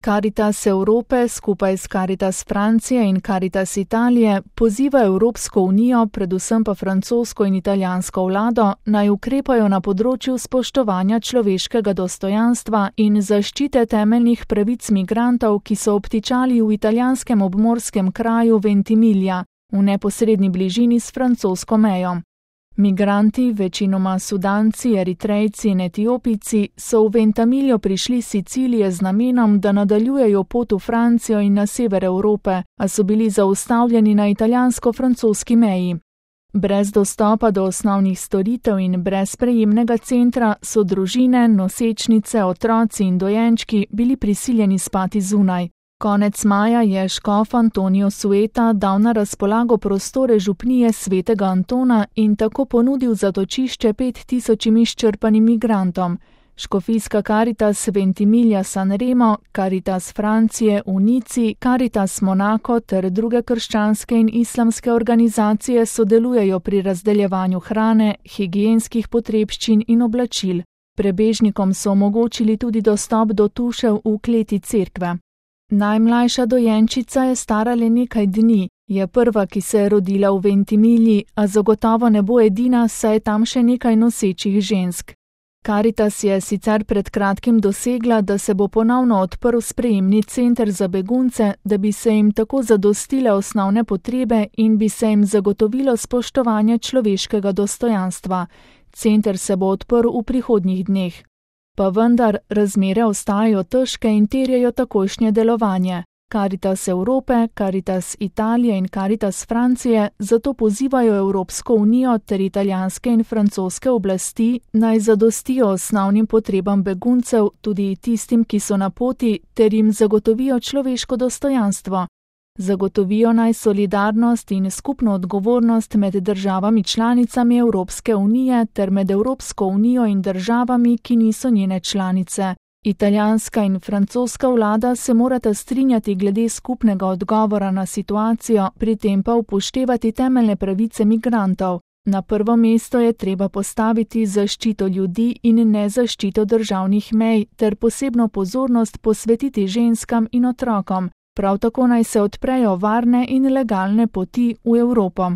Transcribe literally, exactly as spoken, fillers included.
Karitas Evrope skupaj s Karitas Francije in Karitas Italije poziva Evropsko unijo, predvsem pa francosko in italijansko vlado, naj ukrepajo na področju spoštovanja človeškega dostojanstva in zaščite temeljnih pravic migrantov, ki so obtičali v italijanskem obmorskem kraju Ventimiglia, v neposredni bližini s francosko mejo. Migranti, večinoma Sudanci, Eritrejci in Etiopijci, so v Ventimiglia prišli s Sicilije z namenom, da nadaljujejo pot v Francijo in na sever Evrope, a so bili zaustavljeni na italijansko-francoski meji. Brez dostopa do osnovnih storitev in brez prejemnega centra so družine, nosečnice, otroci in dojenčki bili prisiljeni spati zunaj. Konec maja je škof Antonio Sueta dal na razpolago prostore župnije svetega Antona in tako ponudil zatočišče pet tisočim izčrpanim migrantom. Škofijska Karitas Ventimiglia San Remo, Karitas Francije v Nici, Karitas Monaco ter druge krščanske in islamske organizacije sodelujejo pri razdeljevanju hrane, higienskih potrebščin in oblačil. Prebežnikom so omogočili tudi dostop do tušev v kleti cerkve. Najmlajša dojenčica je stara le nekaj dni, je prva, ki se je rodila v Ventimigli, a zagotovo ne bo edina, saj je tam še nekaj nosečih žensk. Karitas je sicer pred kratkim dosegla, da se bo ponovno odprl sprejemni center za begunce, da bi se jim tako zadostile osnovne potrebe in bi se jim zagotovilo spoštovanje človeškega dostojanstva. Center se bo odprl v prihodnjih dneh. Pa vendar razmere ostajajo težke in terjajo takojšnje delovanje. Karitas Evrope, Karitas Italije in Karitas Francije zato pozivajo Evropsko unijo ter italijanske in francoske oblasti, naj zadostijo osnovnim potrebam beguncev, tudi tistim, ki so na poti, ter jim zagotovijo človeško dostojanstvo. Zagotovijo naj solidarnost in skupno odgovornost med državami članicami Evropske unije ter med Evropsko unijo in državami, ki niso njene članice. Italijanska in francoska vlada se morata strinjati glede skupnega odgovora na situacijo, pri tem pa upoštevati temeljne pravice migrantov. Na prvo mesto je treba postaviti zaščito ljudi in ne zaščito državnih mej ter posebno pozornost posvetiti ženskam in otrokom. Prav tako naj se odprejo varne in legalne poti v Evropo.